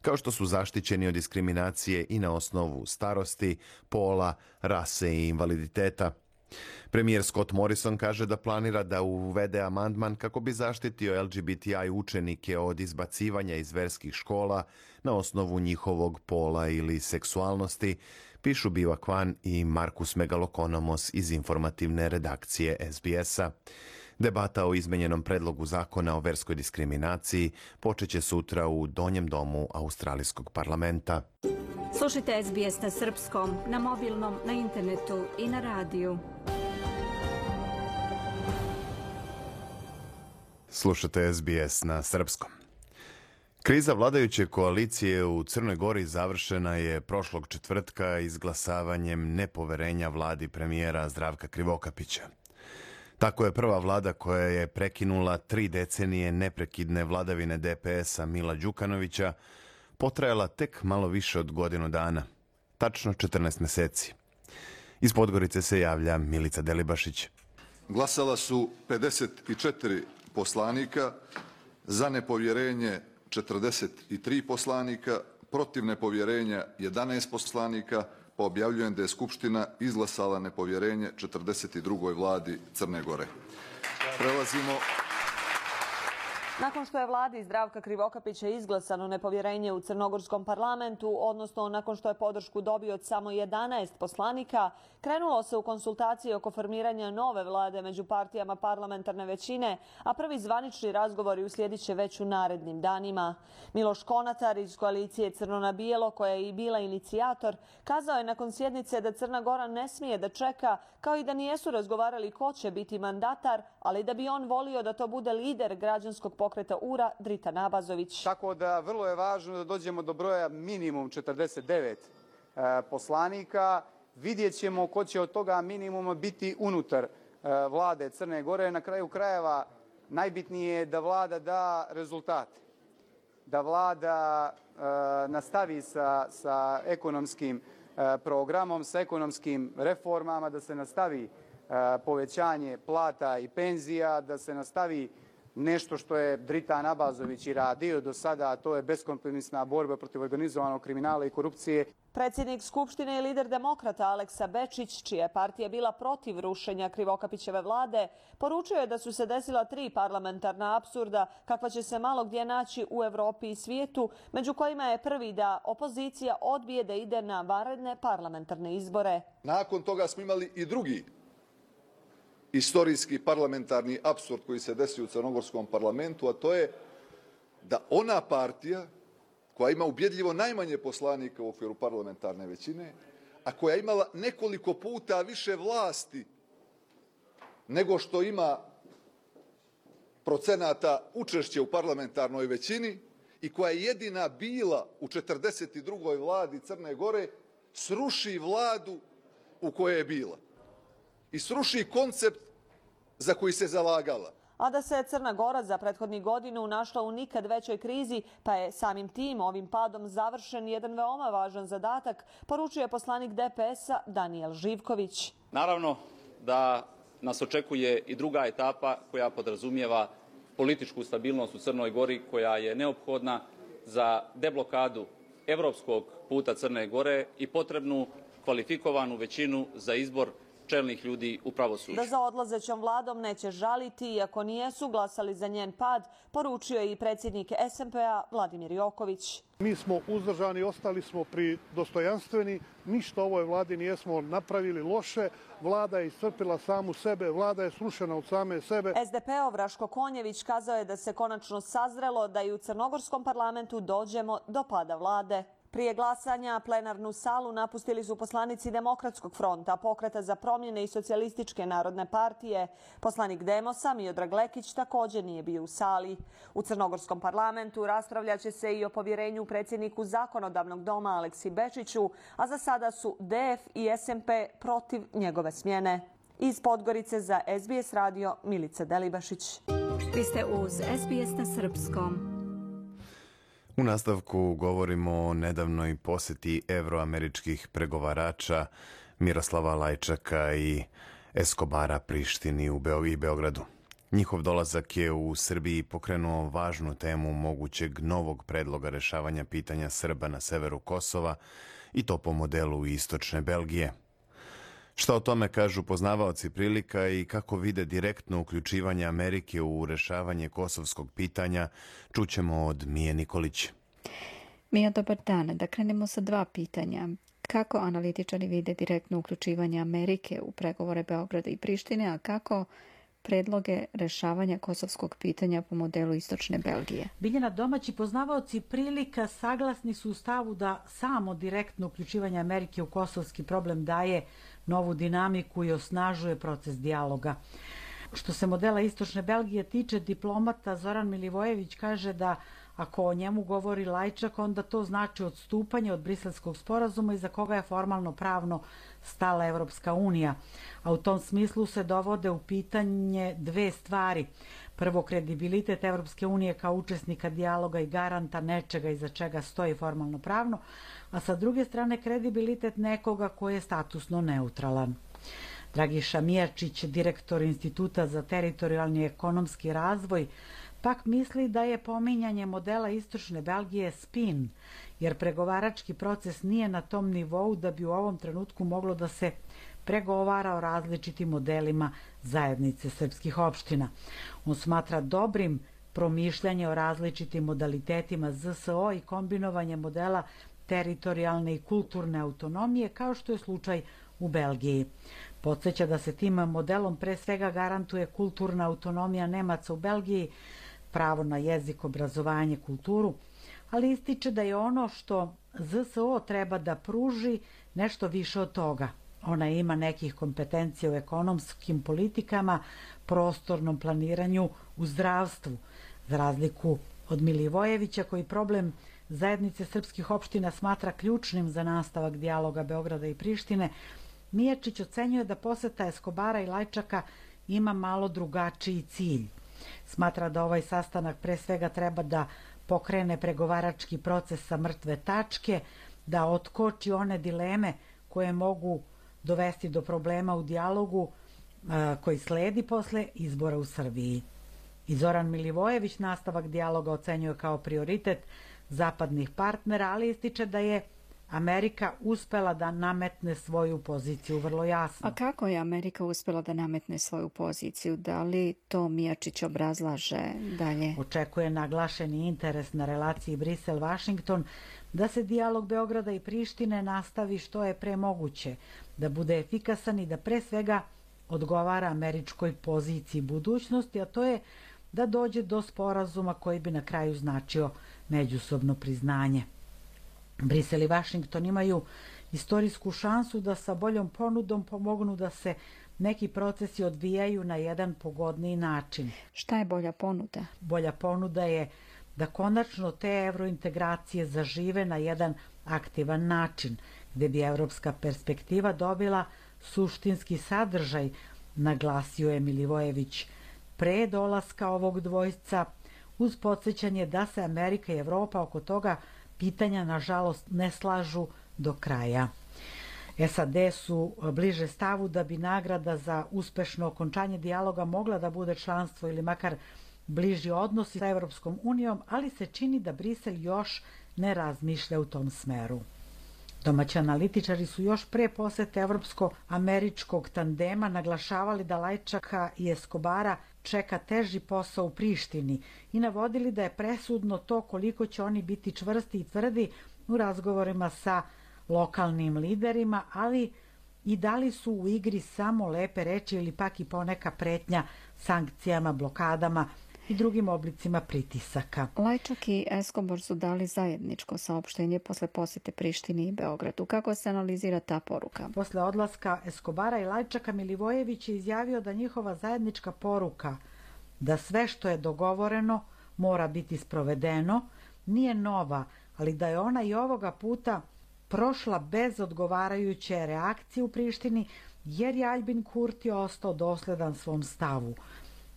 kao što su zaštićeni od diskriminacije i na osnovu starosti, pola, rase i invaliditeta. Premijer Scott Morrison kaže da planira da uvede amandman kako bi zaštitio L G B T I učenike od izbacivanja iz verskih škola na osnovu njihovog pola ili seksualnosti, pišu Biva Kwan i Markus Megalokonomos iz informativne redakcije S B S-a. Debata o izmenjenom predlogu zakona o verskoj diskriminaciji počeće sutra u Donjem domu Australijskog parlamenta. Slušajte S B S na srpskom, na mobilnom, na internetu i na radiju. Slušate S B S na srpskom. Kriza vladajuće koalicije u Crnoj Gori završena je prošlog četvrtka izglasavanjem nepoverenja vladi premijera Zdravka Krivokapića. Tako je prva vlada koja je prekinula tri decenije neprekidne vladavine D P S-a Mila Đukanovića potrajala tek malo više od godinu dana, tačno četrnaest meseci. Iz Podgorice se javlja Milica Delibašić. Glasala su pedeset četiri poslanika, za nepovjerenje četrdeset tri poslanika, protiv nepovjerenja jedanaest poslanika, pa objavljujem da je Skupština izglasala nepovjerenje četrdeset drugoj vladi Crne Gore. Prelazimo... Nakon što je vladi Zdravka Krivokapića izglasano nepovjerenje u crnogorskom parlamentu, odnosno nakon što je podršku dobio od samo jedanaest poslanika, krenulo se u konsultacije oko formiranja nove vlade među partijama parlamentarne većine, a prvi zvanični razgovori uslijedit će već u narednim danima. Miloš Konatar iz koalicije Crno na bijelo, koja je i bila inicijator, kazao je nakon sjednice da Crna Gora ne smije da čeka, kao i da nijesu razgovarali ko će biti mandatar, ali da bi on volio da to bude lider građanskog pokreta U R A Drita Nabazović. Tako da vrlo je važno da dođemo do broja minimum četrdeset devet e, poslanika. Vidjet ćemo ko će od toga minimuma biti unutar e, vlade Crne Gore. Na kraju krajeva najbitnije je da vlada da rezultate. Da vlada e, nastavi sa, sa ekonomskim e, programom, sa ekonomskim reformama, da se nastavi e, povećanje plata i penzija, da se nastavi nešto što je Dritan Abazović i radio do sada, a to je beskompromisna borba protiv organizovanog kriminala i korupcije. Predsjednik Skupštine i lider demokrata Aleksa Bečić, čija je partija bila protiv rušenja Krivokapićeve vlade, poručio je da su se desila tri parlamentarna apsurda kakva će se malo gdje naći u Evropi i svijetu, među kojima je prvi da opozicija odbije da ide na vanredne parlamentarne izbore. Nakon toga smo imali i drugi istorijski parlamentarni apsurd koji se desio u crnogorskom parlamentu, a to je da ona partija koja ima ubjedljivo najmanje poslanika u okviru parlamentarne većine, a koja je imala nekoliko puta više vlasti nego što ima procenata učešća u parlamentarnoj većini i koja je jedina bila u četrdeset drugoj vladi Crne Gore, sruši vladu u kojoj je bila i sruši koncept za koji se zalagala. A da se Crna Gora za prethodnih godinu našla u nikad većoj krizi, pa je samim tim ovim padom završen jedan veoma važan zadatak, poručuje poslanik D P S-a Danijel Živković. Naravno da nas očekuje i druga etapa koja podrazumijeva političku stabilnost u Crnoj Gori, koja je neophodna za deblokadu evropskog puta Crne Gore i potrebnu kvalifikovanu većinu za izbor čelnih ljudi u pravosuđu. Da za odlazećom vladom neće žaliti, iako nijesu glasali za njen pad, poručio je i predsjednik S N P-a Vladimir Joković. Mi smo uzdržani, ostali smo pri dostojanstveni, ništa ovoj vladi nijesmo napravili loše, vlada je iscrpila samu sebe, vlada je srušena od same sebe. S D P-ov Raško Konjević kazao je da se konačno sazrelo da i u crnogorskom parlamentu dođemo do pada vlade. Prije glasanja plenarnu salu napustili su poslanici Demokratskog fronta, Pokreta za promjene i Socijalističke narodne partije. Poslanik Demosa Miodrag Lekić također nije bio u sali. U crnogorskom parlamentu raspravljaće se i o povjerenju predsjedniku Zakonodavnog doma Aleksi Bečiću, a za sada su D F i S N P protiv njegove smjene. Iz Podgorice za S B S radio Milica Delibašić. Vi ste uz S B S na srpskom. U nastavku govorimo o nedavnoj posjeti evroameričkih pregovarača Miroslava Lajčaka i Eskobara Prištini u Beogradu. Njihov dolazak je u Srbiji pokrenuo važnu temu mogućeg novog predloga rešavanja pitanja Srba na severu Kosova i to po modelu istočne Belgije. Šta o tome kažu poznavaoci prilika i kako vide direktno uključivanje Amerike u rešavanje kosovskog pitanja, čućemo od Mije Nikolić. Mija, dobar dan. Da krenemo sa dva pitanja. Kako analitičari vide direktno uključivanje Amerike u pregovore Beograda i Prištine, a kako predloge rešavanja kosovskog pitanja po modelu istočne Belgije? Biljana, domaći poznavaoci prilika saglasni su u stavu da samo direktno uključivanje Amerike u kosovski problem daje novu dinamiku i osnažuje proces dijaloga. Što se modela istočne Belgije tiče, diplomata Zoran Milivojević kaže da ako o njemu govori Lajčak, onda to znači odstupanje od Briselskog sporazuma iza koga je formalno pravno stala Evropska unija. A u tom smislu se dovode u pitanje dve stvari. Prvo, kredibilitet Evropske unije kao učesnika dijaloga i garanta nečega iza čega stoji formalno pravno, a sa druge strane kredibilitet nekoga koji je statusno neutralan. Dragiša Mijačić, direktor Instituta za teritorijalni i ekonomski razvoj, pak misli da je pominjanje modela istočne Belgije spin, jer pregovarački proces nije na tom nivou da bi u ovom trenutku moglo da se pregovara o različitim modelima zajednice srpskih opština. On smatra dobrim promišljanje o različitim modalitetima Z S O i kombinovanje modela teritorijalne i kulturne autonomije, kao što je slučaj u Belgiji. Podsjeća da se tim modelom pre svega garantuje kulturna autonomija Nemaca u Belgiji, pravo na jezik, obrazovanje, kulturu, ali ističe da je ono što Z S O treba da pruži nešto više od toga. Ona ima nekih kompetencija u ekonomskim politikama, prostornom planiranju, u zdravstvu, za razliku od Milivojevića koji problem zajednice srpskih opština smatra ključnim za nastavak dijaloga Beograda i Prištine. Mijačić ocenjuje da poseta Eskobara i Lajčaka ima malo drugačiji cilj. Smatra da ovaj sastanak pre svega treba da pokrene pregovarački proces sa mrtve tačke, da otkoči one dileme koje mogu dovesti do problema u dijalogu koji sledi posle izbora u Srbiji. I Zoran Milivojević nastavak dijaloga ocenjuje kao prioritet zapadnih partnera, ali ističe da je Amerika uspela da nametne svoju poziciju vrlo jasno. A kako je Amerika uspela da nametne svoju poziciju? Da li to Mijačić obrazlaže dalje? Očekuje naglašeni interes na relaciji Brisel-Vašington, da se dijalog Beograda i Prištine nastavi što je pre moguće, da bude efikasan i da pre svega odgovara američkoj poziciji budućnosti, a to je da dođe do sporazuma koji bi na kraju značio međusobno priznanje. Brisel i Vašington imaju istorijsku šansu da sa boljom ponudom pomognu da se neki procesi odvijaju na jedan pogodniji način. Šta je bolja ponuda? Bolja ponuda je da konačno te evrointegracije zažive na jedan aktivan način, gde bi evropska perspektiva dobila suštinski sadržaj, naglasio je Milivojević pre dolaska ovog dvojca, uz podsjećanje da se Amerika i Evropa oko toga pitanja, nažalost, ne slažu do kraja. S A D su bliže stavu da bi nagrada za uspešno okončanje dijaloga mogla da bude članstvo ili makar bliži odnosi sa Evropskom unijom, ali se čini da Brisel još ne razmišlja u tom smeru. Domaći analitičari su još pre posete evropsko-američkog tandema naglašavali da Lajčaka i Eskobara čeka teži posao u Prištini i navodili da je presudno to koliko će oni biti čvrsti i tvrdi u razgovorima sa lokalnim liderima, ali i da li su u igri samo lepe reči ili pak i poneka pretnja sankcijama, blokadama i drugim oblicima pritisaka. Lajčak i Escobar su dali zajedničko saopštenje posle posete Prištini i Beogradu. Kako se analizira ta poruka? Posle odlaska Escobara i Lajčaka, Milivojević je izjavio da njihova zajednička poruka da sve što je dogovoreno mora biti sprovedeno nije nova, ali da je ona i ovoga puta prošla bez odgovarajuće reakcije u Prištini, jer je Aljbin Kurti ostao dosledan svom stavu,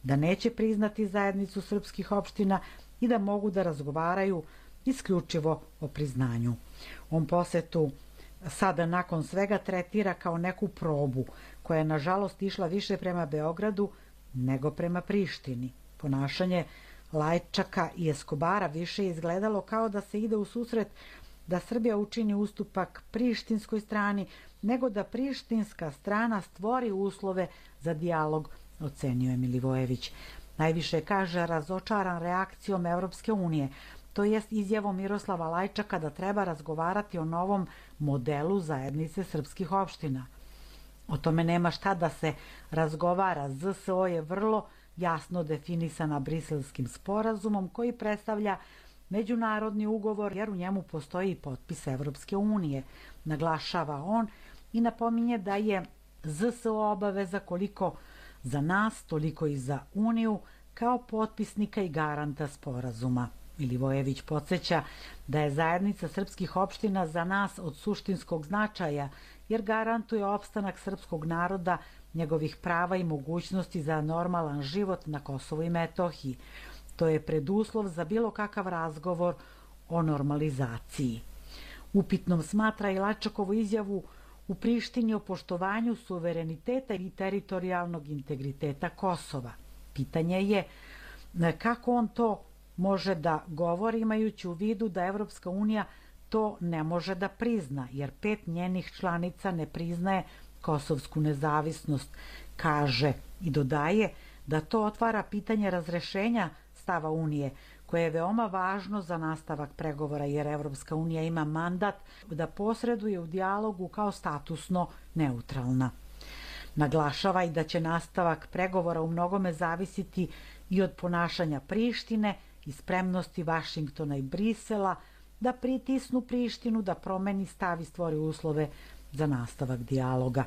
da neće priznati zajednicu srpskih opština i da mogu da razgovaraju isključivo o priznanju. On posetu sada nakon svega tretira kao neku probu, koja je nažalost išla više prema Beogradu nego prema Prištini. Ponašanje Lajčaka i Escobara više je izgledalo kao da se ide u susret da Srbija učini ustupak prištinskoj strani, nego da prištinska strana stvori uslove za dijalog, ocenio je Milivojević. Najviše kaže razočaran reakcijom Evropske unije, to jest izjavom Miroslava Lajčaka da treba razgovarati o novom modelu zajednice srpskih opština. O tome nema šta da se razgovara. Z S O je vrlo jasno definisana Briselskim sporazumom koji predstavlja međunarodni ugovor, jer u njemu postoji i potpis Evropske unije, naglašava on i napominje da je Z S O obaveza koliko za nas, toliko i za Uniju, kao potpisnika i garanta sporazuma. Milivojević podsjeća da je zajednica srpskih opština za nas od suštinskog značaja, jer garantuje opstanak srpskog naroda, njegovih prava i mogućnosti za normalan život na Kosovu i Metohiji. To je preduslov za bilo kakav razgovor o normalizaciji. Upitnom smatra i Lajčakovu izjavu u Prištini o poštovanju suvereniteta i teritorijalnog integriteta Kosova. Pitanje je kako on to može da govori, imajući u vidu da Evropska unija to ne može da prizna, jer pet njenih članica ne priznaje kosovsku nezavisnost, kaže i dodaje da to otvara pitanje razrešenja stava Unije, koje je veoma važno za nastavak pregovora, jer Evropska unija ima mandat da posreduje u dijalogu kao statusno neutralna. Naglašava i da će nastavak pregovora u mnogome zavisiti i od ponašanja Prištine i spremnosti Vašingtona i Brisela da pritisnu Prištinu da promeni stav i stvori uslove za nastavak dijaloga.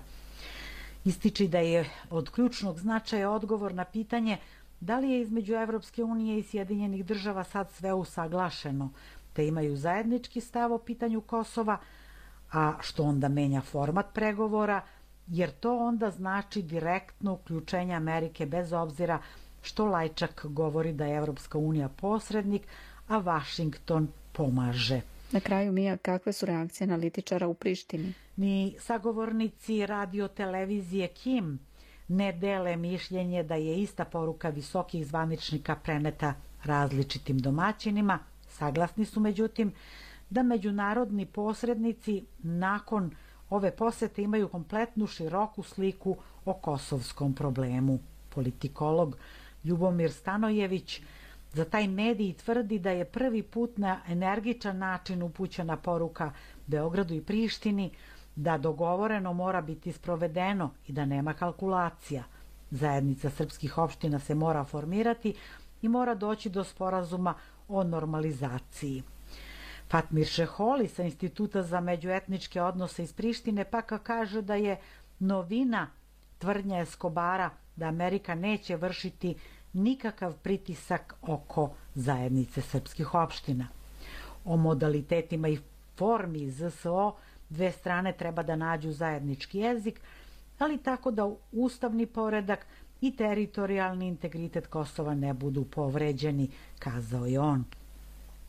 Ističi da je od ključnog značaja odgovor na pitanje da li je između Evropske unije i Sjedinjenih država sad sve usaglašeno, te imaju zajednički stav o pitanju Kosova, a što onda menja format pregovora, jer to onda znači direktno uključenje Amerike bez obzira što Lajčak govori da je Evropska unija posrednik, a Vašington pomaže. Na kraju, Mija, kakve su reakcije analitičara u Prištini? Ni sagovornici radio televizije Kim ne dele mišljenje da je ista poruka visokih zvaničnika preneta različitim domaćinima. Saglasni su međutim da međunarodni posrednici nakon ove posete imaju kompletnu široku sliku o kosovskom problemu. Politikolog Ljubomir Stanojević za taj medij tvrdi da je prvi put na energičan način upućena poruka Beogradu i Prištini da dogovoreno mora biti sprovedeno i da nema kalkulacija. Zajednica srpskih opština se mora formirati i mora doći do sporazuma o normalizaciji. Fatmir Šeholi sa Instituta za međuetničke odnose iz Prištine pak kaže da je novina tvrdnja Eskobara da Amerika neće vršiti nikakav pritisak oko zajednice srpskih opština. O modalitetima i formi Z S O dve strane treba da nađu zajednički jezik, ali tako da ustavni poredak i teritorijalni integritet Kosova ne budu povređeni, kazao je on.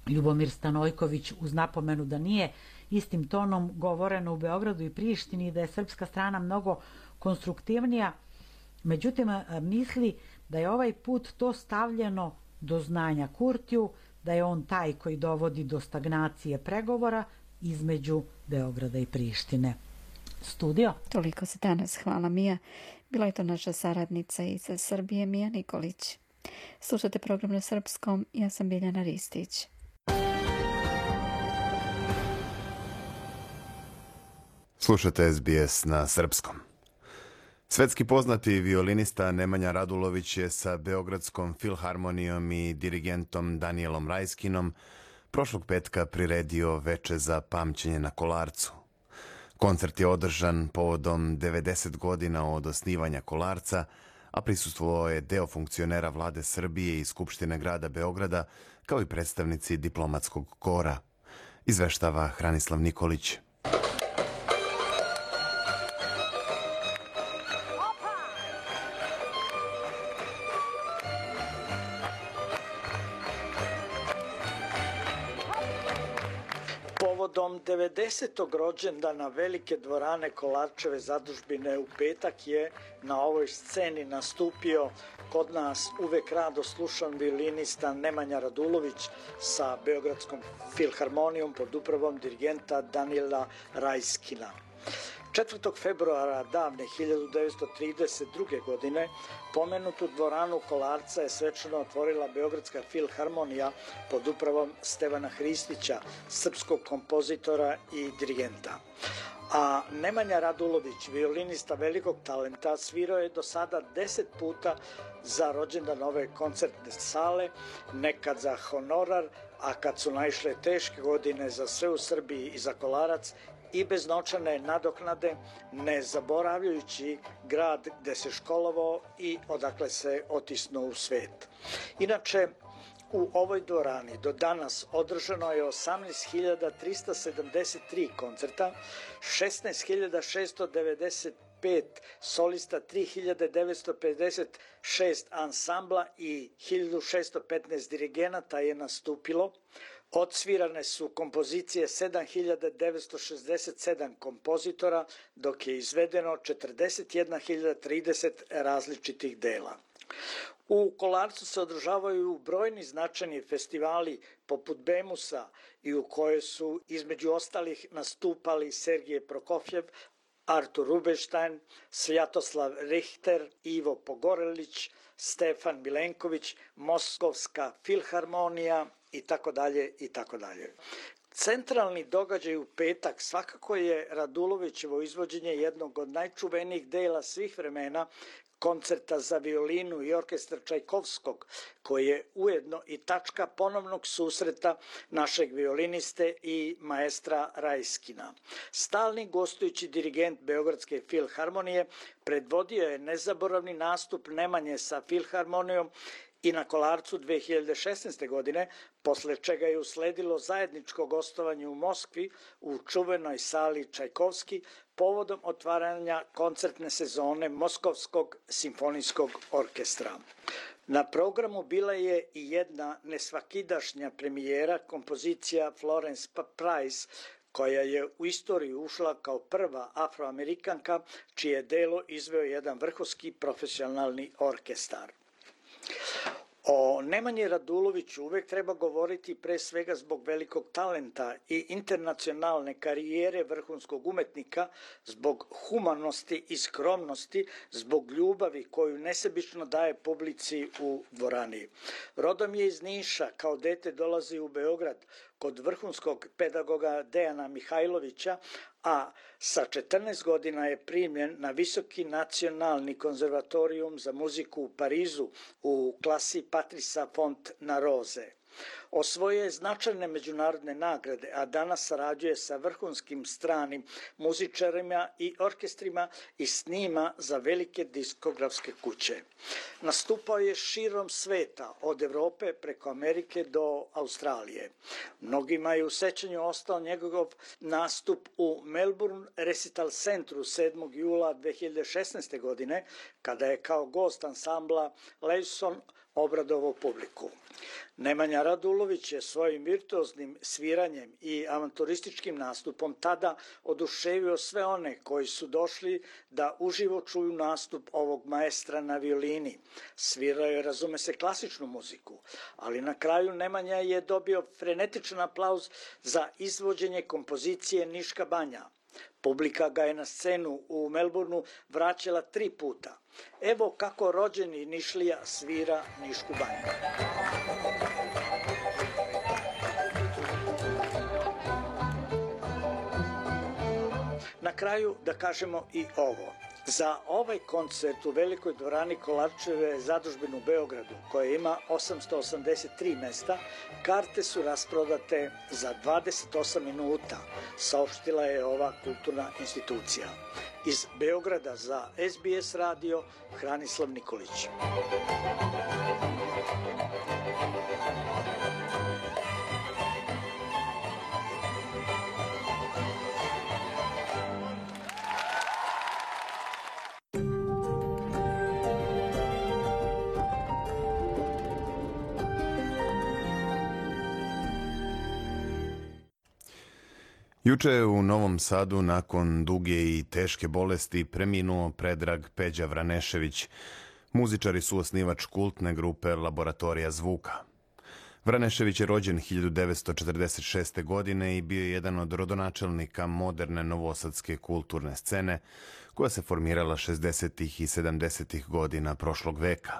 Ljubomir Stanojković uz napomenu da nije istim tonom govoreno u Beogradu i Prištini i da je srpska strana mnogo konstruktivnija, međutim misli da je ovaj put to stavljeno do znanja Kurtiju, da je on taj koji dovodi do stagnacije pregovora između Beograda i Prištine. Studio. Toliko se danas. Hvala Mija. Bila je to naša saradnica iz Srbije, Mija Nikolić. Slušate program na srpskom. Ja sam Biljana Ristić. Slušate S B S na srpskom. Svetski poznati violinista Nemanja Radulović je sa Beogradskom filharmonijom i dirigentom Danielom Rajskinom prošlog petka priredio veče za pamćenje na Kolarcu. Koncert je održan povodom devedeset godina od osnivanja Kolarca, a prisustvovao je deo funkcionera vlade Srbije i Skupštine grada Beograda, kao i predstavnici diplomatskog kora. Izveštava Hranislav Nikolić. Povodom devedesetog rođendana velike dvorane Kolarčeve zadužbine u petak je na ovoj sceni nastupio kod nas uvek rado slušan violinista Nemanja Radulović sa Beogradskom filharmonijom pod upravom dirigenta Daniela Rajskina. četvrtog februara davne hiljadu devetsto trideset druge. godine pomenutu dvoranu Kolarca je svečano otvorila Beogradska filharmonija pod upravom Stevana Hristića, srpskog kompozitora i dirigenta. A Nemanja Radulović, violinista velikog talenta, svirao je do sada deset puta za rođendan ove koncertne sale, nekad za honorar, a kad su naišle teške godine za sve u Srbiji i za Kolarac, i bez novčane nadoknade, ne zaboravljajući grad gde se školovao i odakle se otisnuo u svet. Inače, u ovoj dvorani do danas održano je osamnaest hiljada trista sedamdeset tri koncerta, šesnaest hiljada šesto devedeset pet solista, tri hiljade devetsto pedeset šest ansambla i hiljadu šesto petnaest dirigenata je nastupilo. Odsvirane su kompozicije sedam hiljada devetsto šezdeset sedam kompozitora, dok je izvedeno četrdeset jedna hiljada trideset različitih dela. U Kolarcu se održavaju brojni značajni festivali poput Bemusa i u kojoj su između ostalih nastupali Sergije Prokofjev, Artur Rubinstein, Svjatoslav Richter, Ivo Pogorelić, Stefan Milenković, Moskovska filharmonija i tako dalje i tako dalje. Centralni događaj u petak svakako je Radulovićevo izvođenje jednog od najčuvenijih dela svih vremena, koncerta za violinu i orkestar Čajkovskog, koji je ujedno i tačka ponovnog susreta našeg violiniste i maestra Rajskina. Stalni gostujući dirigent Beogradske filharmonije predvodio je nezaboravni nastup Nemanje sa filharmonijom i na Kolarcu dve hiljade šesnaeste. godine, posle čega je usledilo zajedničko gostovanje u Moskvi u čuvenoj sali Čajkovski povodom otvaranja koncertne sezone Moskovskog simfonijskog orkestra. Na programu bila je i jedna nesvakidašnja premijera, kompozicija Florence Price, koja je u istoriju ušla kao prva afroamerikanka, čije delo izveo jedan vrhunski profesionalni orkestar. O Nemanji Raduloviću uvek treba govoriti pre svega zbog velikog talenta i internacionalne karijere vrhunskog umetnika, zbog humanosti i skromnosti, zbog ljubavi koju nesebično daje publici u dvorani. Rodom je iz Niša, kao dete dolazi u Beograd kod vrhunskog pedagoga Dejana Mihajlovića, a sa četrnaest godina je primljen na Visoki nacionalni konzervatorijum za muziku u Parizu u klasi Patrisa Fontnaroze. Osvojio je značajne međunarodne nagrade, a danas sarađuje sa vrhunskim stranim muzičarima i orkestrima i snima za velike diskografske kuće. Nastupao je širom sveta, od Evrope preko Amerike do Australije. Mnogima je u sećanju ostao njegov nastup u Melbourne Recital Centru sedmog jula dve hiljade šesnaeste. godine, kada je kao gost ansambla Levison obradovao publiku. Nemanja Radulović je svojim virtuoznim sviranjem i avanturističkim nastupom tada oduševio sve one koji su došli da uživo čuju nastup ovog maestra na violini. Svirao je, razume se, klasičnu muziku, ali na kraju Nemanja je dobio frenetičan aplauz za izvođenje kompozicije Niška banja. Publika ga je na scenu u Melbourneu vraćala tri puta. Evo kako rođeni Nišlija svira Nišku banju. Na kraju da kažemo i ovo. Za ovaj koncert u Velikoj dvorani Kolarčeve zadužbine u Beogradu, koja ima osamsto osamdeset tri mesta, karte su rasprodate za dvadeset osam minuta, saopštila je ova kulturna institucija. Iz Beograda za S B S radio, Hranislav Nikolić. Juče je u Novom Sadu nakon duge i teške bolesti preminuo Predrag Peđa Vranešević, muzičar i suosnivač kultne grupe Laboratorija zvuka. Vranešević je rođen hiljadu devetsto četrdeset šeste. godine i bio je jedan od rodonačelnika moderne novosadske kulturne scene koja se formirala šezdesetih i sedamdesetih godina prošlog veka.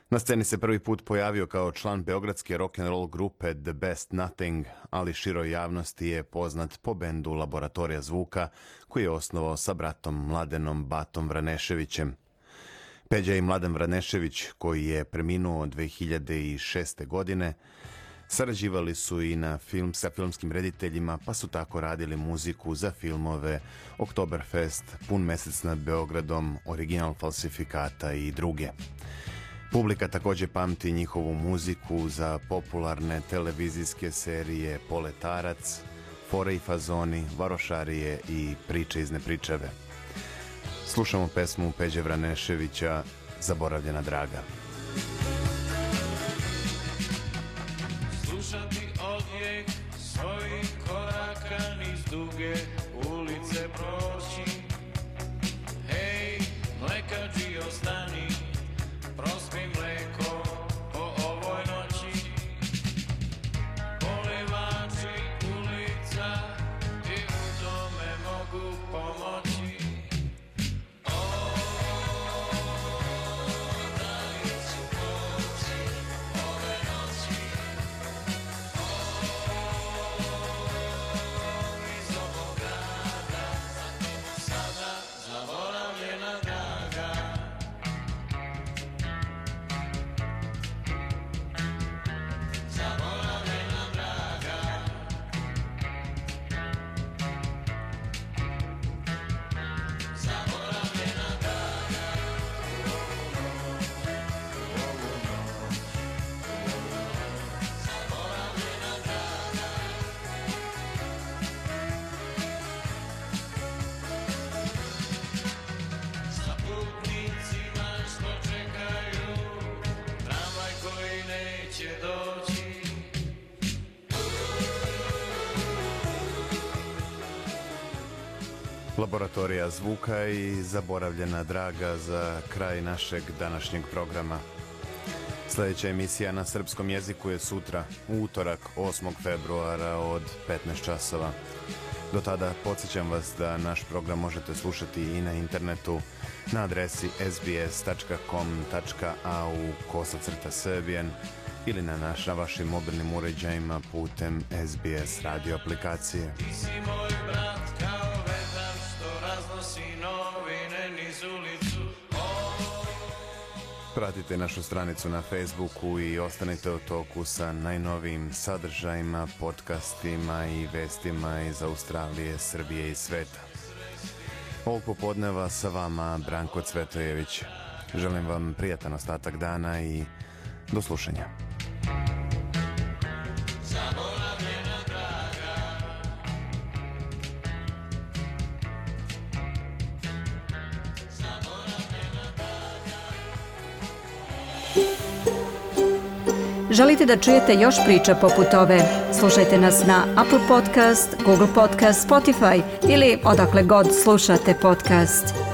Na sceni se prvi put pojavio kao član beogradske rock'n'roll grupe The Best Nothing, ali široj javnosti je poznat po bendu Laboratorija zvuka koji je osnovao sa bratom Mladenom Batom Vraneševićem. Peđa i Mladen Vranešević, koji je preminuo dve hiljade šeste. godine, sarađivali su i na film sa filmskim rediteljima, pa su tako radili muziku za filmove Oktoberfest, Pun mesec nad Beogradom, Original falsifikata i druge. Publika također pamti njihovu muziku za popularne televizijske serije Poletarac, Fore i fazoni, Varošarije i Priče iz nepričave. Slušamo pesmu Peđe Vraneševića Zaboravljena draga. Slušati odjek svojih koraka niz duge ulice proći. Hej, mlekađi ostani, prospi mleko po ovoj noći. Polivači ulica i u tome mogu pomoći. Za Laboratorija zvuka i zaboravljena draga za kraj našeg današnjeg programa. Sljedeća emisija na srpskom jeziku je sutra, u utorak osmog februara od petnaest časova. Do tada podsjećam vas da naš program možete slušati i na internetu na adresi s b s tačka com tačka a u kosacrta serbian ili na, naš, na vašim mobilnim uređajima putem S B S radio aplikacije. Ti si moj brat kao vetar što raznosi novine niz ulicu. Pratite našu stranicu na Facebooku i ostanite u toku sa najnovijim sadržajima, podcastima i vestima iz Australije, Srbije i sveta. Ovog popodneva sa vama Branko Cvetojević. Želim vam prijatan ostatak dana i do slušanja. Želite da čujete još priča poput ove? Slušajte nas na Apple Podcast, Google Podcast, Spotify ili odakle god slušate podcast.